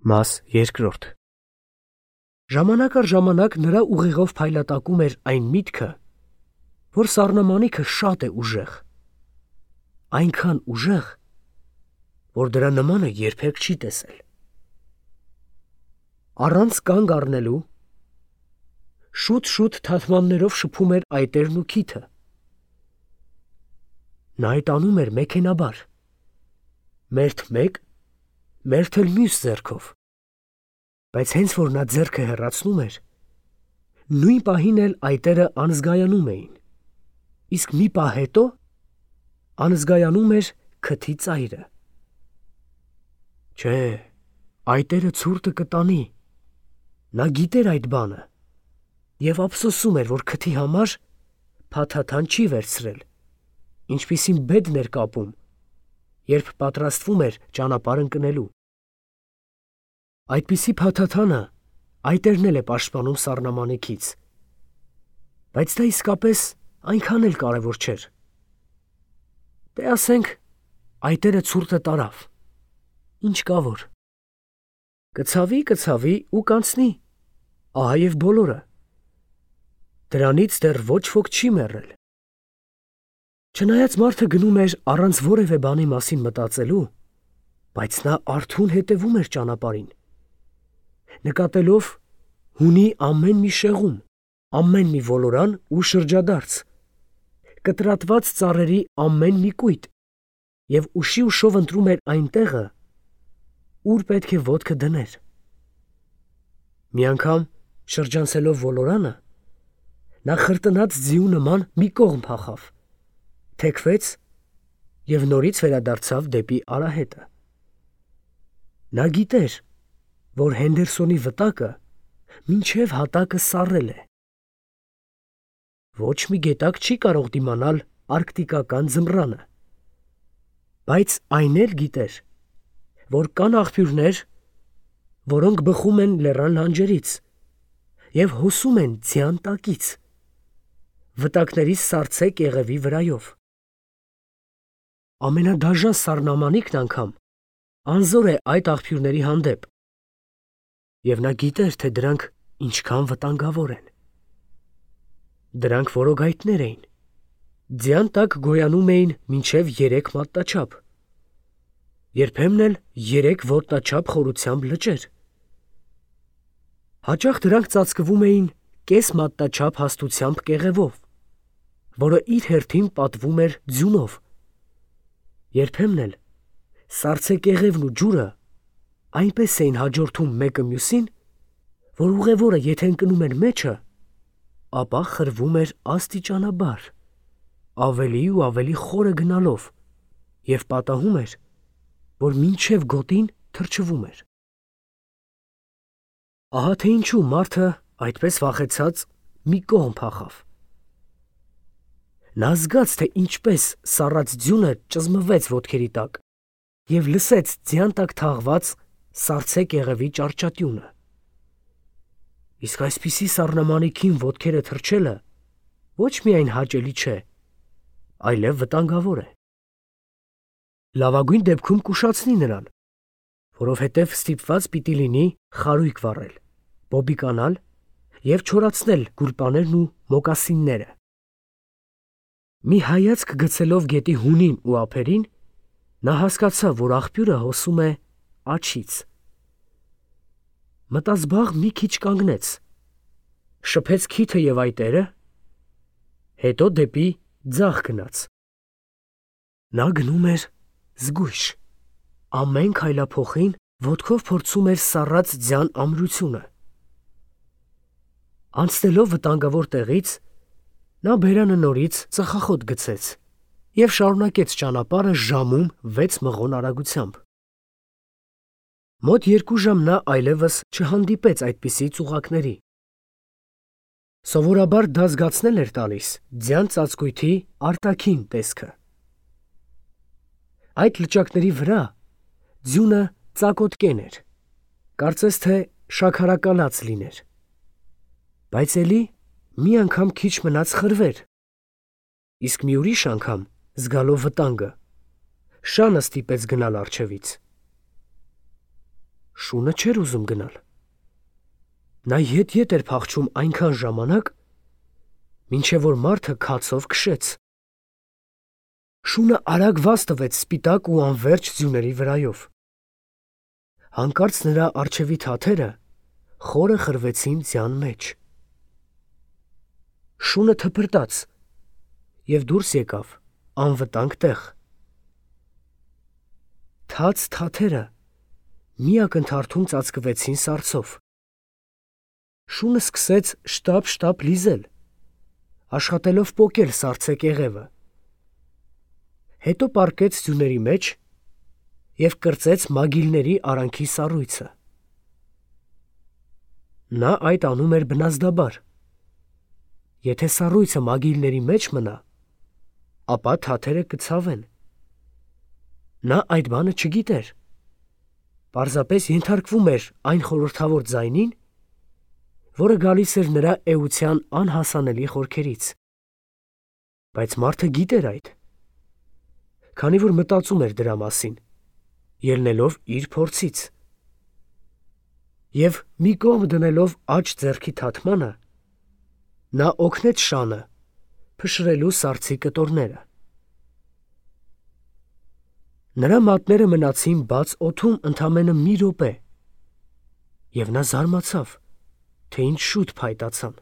Մաս երկրորդ Ժամանակ առ ժամանակ նրա ուղեղով փայլատակում էր այն միտքը, որ սառնամանիքը շատ է ուժեղ, այնքան ուժեղ, որ դրա նմանը երբեք չի տեսել։ Առանց կանգ առնելու շուտ թաթմաններով շփում էր այտերն ու քիթը։ Նա այդ անում էր մեքենաբար, մերթ մեկ, մերթ էլ մյուս ձեռքով, բայց հենց որ նա ձեռքը հեռացնում էր, նույն պահին էլ այտերը անզգայանում էին, իսկ մի պահ հետո անզգայանում էր քթի ծայրը։ Չէ, այտերը ցուրտը կտանի, նա գիտեր այդ բանը և ափսոսում էր, որ քթի համար փաթաթան չի վերցրել, ինչպիսին բեդն էր կապում, երբ պատրաստվում էր ճանապարհ ընկնելու։ Այդպիսի փաթաթանը այտերն էլ է պաշտպանում սառնամանիքից, բայց դա իսկապես այնքան էլ կարևոր չէր։ Դե ասենք, այտերը ցուրտը տարավ, ինչ կա որ։ Կցավի ու կանցնի, ահա և բոլորը։ Դրանից դեռ ոչ ոք չի մեռել։ Չնայած մարդը գնում էր առանց որևէ բանի մասին մտածելու, բայց նա արթուն հետևում էր ճանապարհին, նկատելով հունի ամեն մի շեղում, ամեն մի ոլորան ու շրջադարձ, կտրատված ծառերի ամեն մի կույտ և ուշով ընտրում էր այն տեղը, ուր պետք է ոտքը դներ։ Մի անգամ, շրջանցելով ոլորանը, նա խրտնած ձիու նման մի կողմ փախավ, թեքվեց և նորից վերադարձավ դեպի արահետը։ Նա գիտեր, որ Հենդերսոնի վտակը մինչև հատակը սառել է։ Ոչ մի գետակ չի կարող դիմանալ արկտիկական ձմռանը, բայց այն էլ գիտեր, որ կան աղբյուրներ, որոնք բխում են լեռան լանջերից և հոսում են ձյան տակից, վտակների սառցե կեղևի վրայով։ Ամենադաժան սառնամանիքն անգամ անզոր է այդ աղբյուրների հանդեպ, և նա գիտեր, թե դրանք ինչքան վտանգավոր են։ Դրանք որոգայթներ էին, ձյան տակ գոյանում էին մինչև 3 մատնաչափ, երբեմն էլ 3 ոտնաչափ խորությամբ լճեր։ Հաճախ դրանք ծածկվում էին կես մատնաչափ հաստությամբ կեղևով, որը իր հերթին պատվում էր ձյունով։ Երբեմն էլ սառցե կեղևն ու ջուրը այնպես էին հաջորդում մեկը մյուսին, որ ուղևորը եթե ընկնում էր մեջը, ապա խրվում էր աստիճանաբար, ավելի ու ավելի խորը գնալով և պատահում էր, որ մինչև գոտին թրջվում էր։ Ահա թե ինչու մարդը այդպես վախեցած մի կողմ փախավ։ Նա զգաց, թե ինչպես սառած ձյունը ճզմվեց ոտքերի տակ և լսեց ձյան տակ թաղված սառցե կեղևի ճարճատյունը։ Իսկ այսպիսի սառնամանիքին ոտքերը թրջելը ոչ միայն հաճելի չէ, այլև վտանգավոր է։ Լավագույն դեպքում կուշացնի նրան, որովհետև ստիպված պիտի լինի խարույկ վառել, բոբիկանալ և չորացնել գուլպաներն ու մոկասինները։ Մի հայացք գցելով գետի հունին ու ափերին, նա հասկացավ, որ աղբյուրը հոսում է աջից։ Մտազբաղ մի քիչ կանգնեց, շփեց քիթը և այտերը, հետո դեպի ձախ գնաց։ Նա գնում էր զգույշ, ամեն քայլափոխին ոտքով փորձում էր սառած ձյան ամրությունը։ Անցնելով վտանգավոր տեղից, նա բերանը նորից ծխախոտ գցեց և շարունակեց ճանապարհը ժամում 6 մղոն արագությամբ։ Մոտ 2 ժամ նա այլևս չհանդիպեց այդպիսի ծուղակների։ Սովորաբար դա զգացնել էր տալիս ձյան ծածկույթի արտաքին տեսքը։ Այդ լճակների վրա ձյունը ծակոտկեն էր, կարծես թե շաքարակալած լիներ, բայց էլի մի անգամ քիչ մնաց խրվեր, իսկ մի ուրիշ անգամ, զգալով վտանգը, շանը ստիպեց գնալ առջևից։ Շունը չէր ուզում գնալ։ Նա ետ էր փախչում այնքան ժամանակ, մինչև որ մարդը քացով քշեց։ Շունը արագ վազ տվեց սպիտակ ու անվերջ ձյուների վրայով։ Հանկարծ նրա առջևի թաթերը խորը խրվեցին ձյան մեջ։ Շունը թփրտաց և դուրս եկավ անվտանգ տեղ։ Թաց թաթերը մի ակնթարթում ծածկվեցին սառցով։ Շունը սկսեց շտապ լիզել, աշխատելով պոկել սառցե կեղևը։ Հետո պառկեց ձյուների մեջ և կրծեց մագիլների արանքի սառույցը։ Նա այդ անում էր բնազդաբար։ Եթե սառույցը մագիլների մեջ մնա, ապա թաթերը կցավեն։ Նա այդ բանը չգիտեր, պարզապես ենթարկվում էր այն խորհրդավոր ձայնին, որը գալիս էր նրա էության անհասանելի խորքերից։ Բայց մարդը գիտեր այդ, քանի որ մտածում էր դրա մասին, ելնելով իր փորձից։ Եվ մի կողմ դնելով աջ ձեռքի թաթմանը, նա օգնեց շանը փշրելու սառցի կտորները։ Նրա մատները մնացին բաց օդում ընդամենը մի րոպե, և նա զարմացավ, թե ինչ շուտ փայտացան։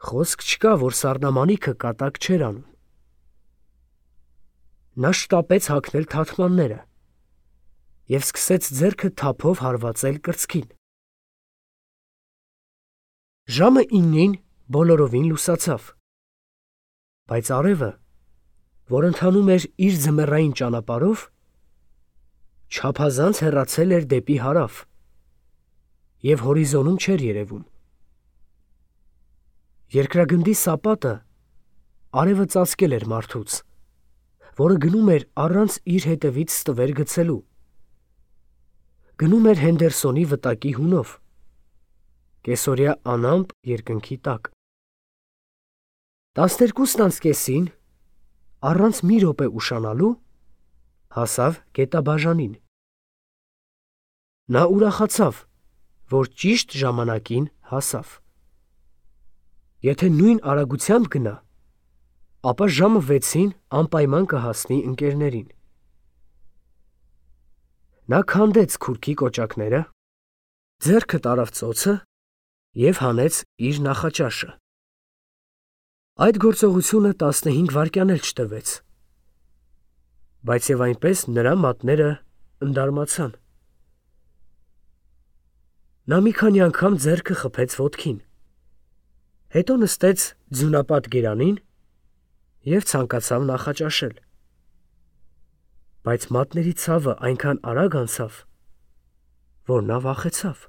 Խոսք չկա, որ սառնամանիքը կատակ չէր անում։ Նա շտապեց հագնել թաթմանները և սկսեց ձեռքը թափով հարվածել կրծքին։ Ժամը 9-ին բոլորովին լուսացավ, բայց արևը, որ ընթանում էր իր ձմեռային ճանապարհով, չափազանց հեռացել էր դեպի հարավ և հորիզոնում չէր երևում։ Երկրագնդի սապատը արևը ծածկել էր մարդուց, որը գնում էր առանց իր հետևից ստվեր գցելու։ Գնում էր Հենդերսոնի վտակի հունով, կեսօրյա անամպ երկնքի տակ։ 12:30-ին, առանց մի րոպե ուշանալու, հասավ գետաբաժանին։ Նա ուրախացավ, որ ճիշտ ժամանակին հասավ։ Եթե նույն արագությամբ գնա, ապա ժամը 6-ին անպայման կհասնի ընկերներին։ Նա քանդեց քուրքի կոճակները, ձեռքը տարավ ծոցը և հանեց իր նախաճաշը։ Այդ գործողությունը 15 վայրկյան էլ չտևեց, բայց և այնպես նրա մատները ընդարմացան։ Նա մի քանի անգամ ձեռքը խփեց ոտքին, հետո նստեց ձյունապատ գերանին և ցանկացավ նախաճաշել։ Բայց մատների ցավը այնքան արագ անցավ, որ նա վախեցավ։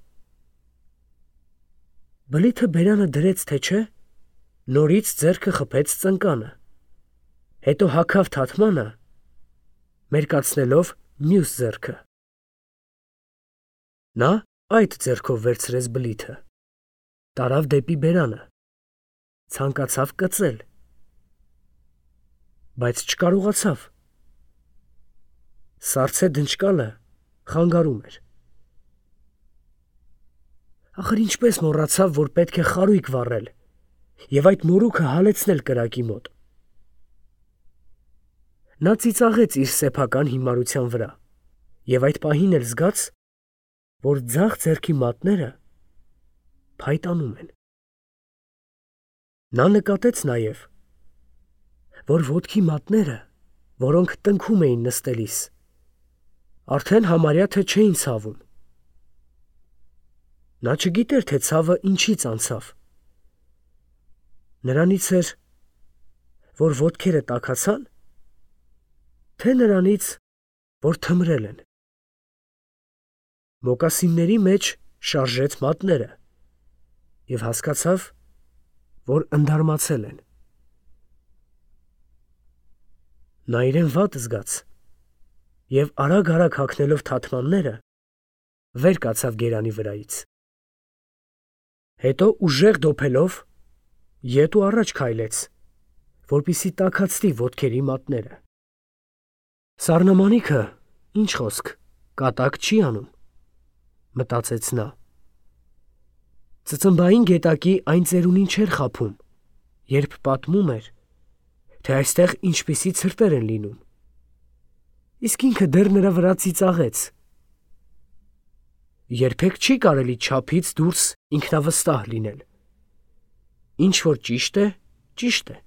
Բլիթը բերանը դրեց, թե չէ, նորից ձեռքը խփեց ծնկանը, հետո հագավ թաթմանը, մերկացնելով մյուս ձեռքը։ Նա այդ ձեռքով վերցրեց բլիթը, տարավ դեպի բերանը, ցանկացավ կծել, բայց չկարողացավ։ Սառցե դնչկալը խանգարում էր։ Ախր ինչպես մոռացավ, որ պետք է խարույկ վառել և այդ մորուքը հալեցնել կրակի մոտ։ Նա ծիծաղեց իր սեփական հիմարության վրա և այդ պահին էլ զգաց, որ ձախ ձեռքի մատները փայտանում են։ Նա նկատեց նաև, որ ոտքի մատները, որոնք տնքում էին նստելիս, արդեն համարյա թե չէին ցավում։ Նա չգիտեր, թե ցավը ինչից անցավ։ Նրանից էր, որ ոտքերը տաքացան, թե նրանից, որ թմրել են։ Մոկասինների մեջ շարժեց մատները և հասկացավ, որ ընդարմացել են։ Նա իրեն վատ զգաց և արագ հագնելով թաթմանները, վեր կացավ գերանի վրայից։ Հետո ուժեղ դոփելով ետ ու առաջ քայլեց, որպեսզի տաքացնի ոտքերի մատները։ Սառնամանիքը, ինչ խոսք, կատակ չի անում, մտածեց նա։ Ծծմբային գետակի այն ծերունին չէր խաբում, երբ պատմում էր, թե այստեղ ինչպիսի ցրտեր են լինում։ Իսկ ինքը դեռ նրա վրա ծիծաղեց։ Երբեք չի կարելի չափից դուրս ինքնավստահ լինել։ Ինչ որ ճիշտ է, ճիշտ է։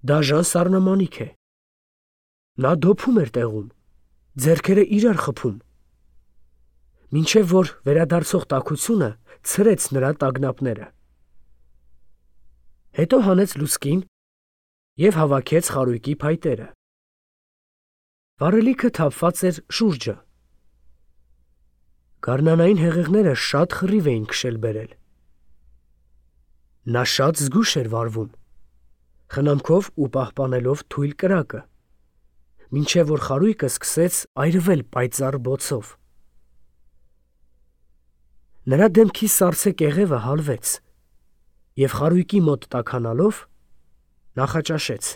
Դաժան սառնամանիք է։ Նա դոփում էր տեղում, ձեռքերը իրար խփում, մինչև որ վերադարձող տաքությունը ցրեց նրա տագնապները։ Հետո հանեց լուցկին և հավաքեց խարույկի փայտերը։ Վառելիքը թափված էր շուրջը։ Գարնանային հեղեղները շատ խռիվ էին քշել բերել։ Նա շատ զգույշ էր վարվում, խնամքով ու պահպանելով թույլ կրակը, մինչև որ խարույկը սկսեց այրվել պայծառ բոցով։ Նրա դեմքի սառցե կեղևը հալվեց, և խարույկի մոտ տաքանալով նախաճաշեց։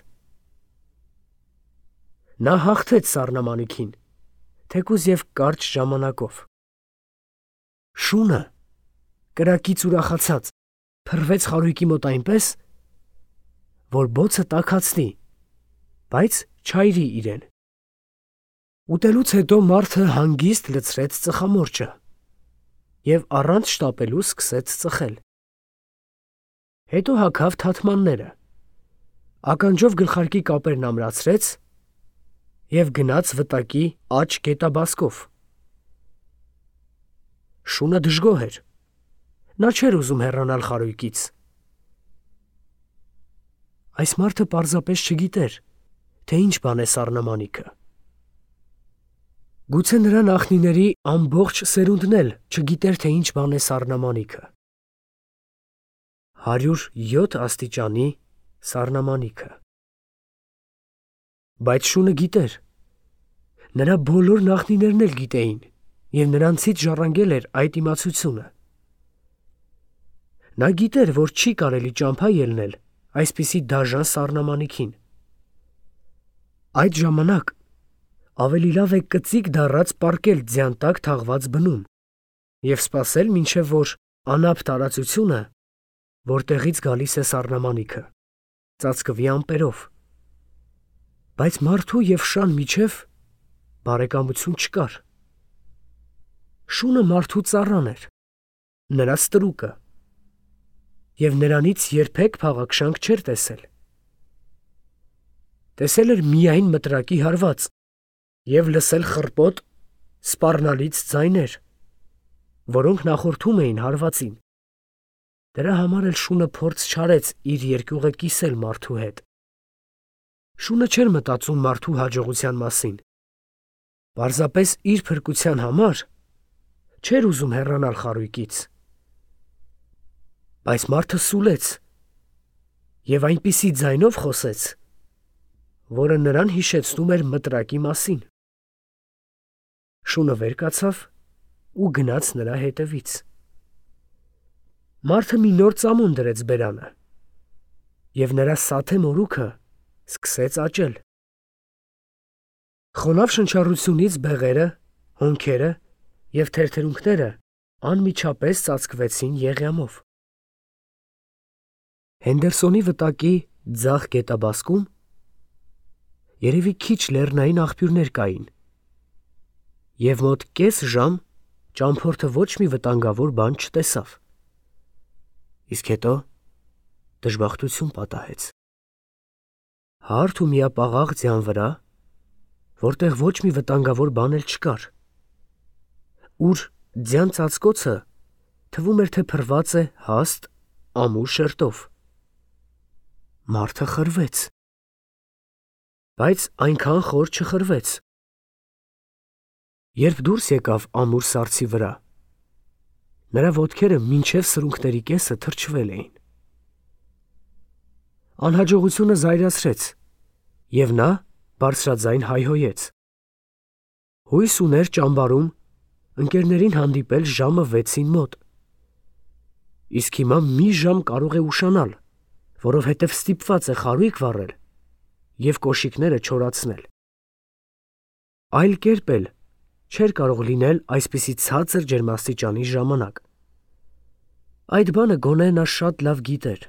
Նա հաղթեց սառնամանիքին, թեկուզ և կարճ ժամանակով։ Շունը, կրակից ուրախացած, փռվեց խարույկի մոտ այնպես, որ բոցը տաքացնի, բայց չայրի իրեն։ Ուտելուց հետո մարդը հանգիստ լցրեց ծխամորճը և առանց շտապելու սկսեց ծխել։ Հետո հագավ թաթմանները, ականջով գլխարկի կապերն ամրացրեց և գնաց վտակի աջ գետաբասկով։ Շունը դժգոհ էր, նա չէր ուզում հեռանալ խարույկից։ Այս մարդը պարզապես չգիտեր, թե ինչ բան է սառնամանիքը։ Գուցե նրա նախնիների ամբողջ սերունդն էլ չգիտեր, թե ինչ բան է սառնամանիքը։ 107 աստիճանի սառնամանիքը։ Բայց շունը գիտեր։ Նրա բոլոր նախնիներն էլ գիտեին, և նրանցից ժառանգել էր այդ իմացությունը։ Նա գիտեր, որ չի կարելի ճամփա ելնել այսպիսի դաժան սառնամանիքին։ Այդ ժամանակ ավելի լավ է կծիկ դառած պառկել ձյան տակ թաղված բնում և սպասել, մինչև որ անապ տարածությունը, որտեղից գալիս է սառնամանիքը, ծածկվի ամպերով։ Բայց մարդու և շան միջև բարեկամություն չկար։ Շունը մարդու ծառան էր, նրա ստրուկը, և նրանից երբեք փաղաքշանք չէր տեսել։ Տեսել էր միայն մտրակի հարված և լսել խռպոտ, սպառնալից ձայներ, որոնք նախորդում էին հարվածին։ Դրա համար էլ շունը փորձ չարեց իր երկյուղը կիսել մարդու հետ։ Շունը չէր մտածում մարդու հաջողության մասին։ Պարզապես իր փրկության համար չէր ուզում հեռանալ խարույկից։ Բայց մարդը սուլեց և այնպիսի ձայնով խոսեց, որը նրան հիշեցնում էր մտրակի մասին։ Շունը վեր կացավ ու գնաց նրա հետևից։ Մարդը մի նոր ծամոն դրեց բերանը, և նրա սաթե մորուքը սկսեց աճել։ Խոնավ շնչառությունից բեղերը, հոնքերը և թերթերունքները անմիջապես ծածկվեցին եղյամով։ Հենդերսոնի վտակի ձախ գետաբասկում երևի քիչ լեռնային աղբյուրներ կային, և մոտ կես ժամ ճամփորդը ոչ մի վտանգավոր բան չտեսավ։ Իսկ հետո դժբախտություն պատահեց։ Հարթ ու միապաղաղ ձյան վրա, որտեղ ոչ մի վտանգավոր բան էլ չկար, ուր ձյան ծածկոցը թվում էր, թե փռված է հաստ, ամուր շերտով, մարդը խրվեց։ Բայց այնքան խոր չխրվեց։ Երբ դուրս եկավ ամուր սառցի վրա, նրա ոտքերը մինչև սրունքների կեսը թրջվել էին։ Անհաջողությունը զայրացրեց, և նա բարձրաձայն հայհոյեց։ Հույս ուներ ճամբարում ընկերներին հանդիպել ժամը 6-ին մոտ։ Իսկ հիմա մի ժամ կարող է ուշանալ, որովհետև ստիպված է խարույկ վառել և կոշիկները չորացնել։ Այլ կերպ էլ չէր կարող լինել այսպիսի ցածր ջերմաստիճանի ժամանակ։ Այդ բանը գոնե նա շատ լավ գիտեր։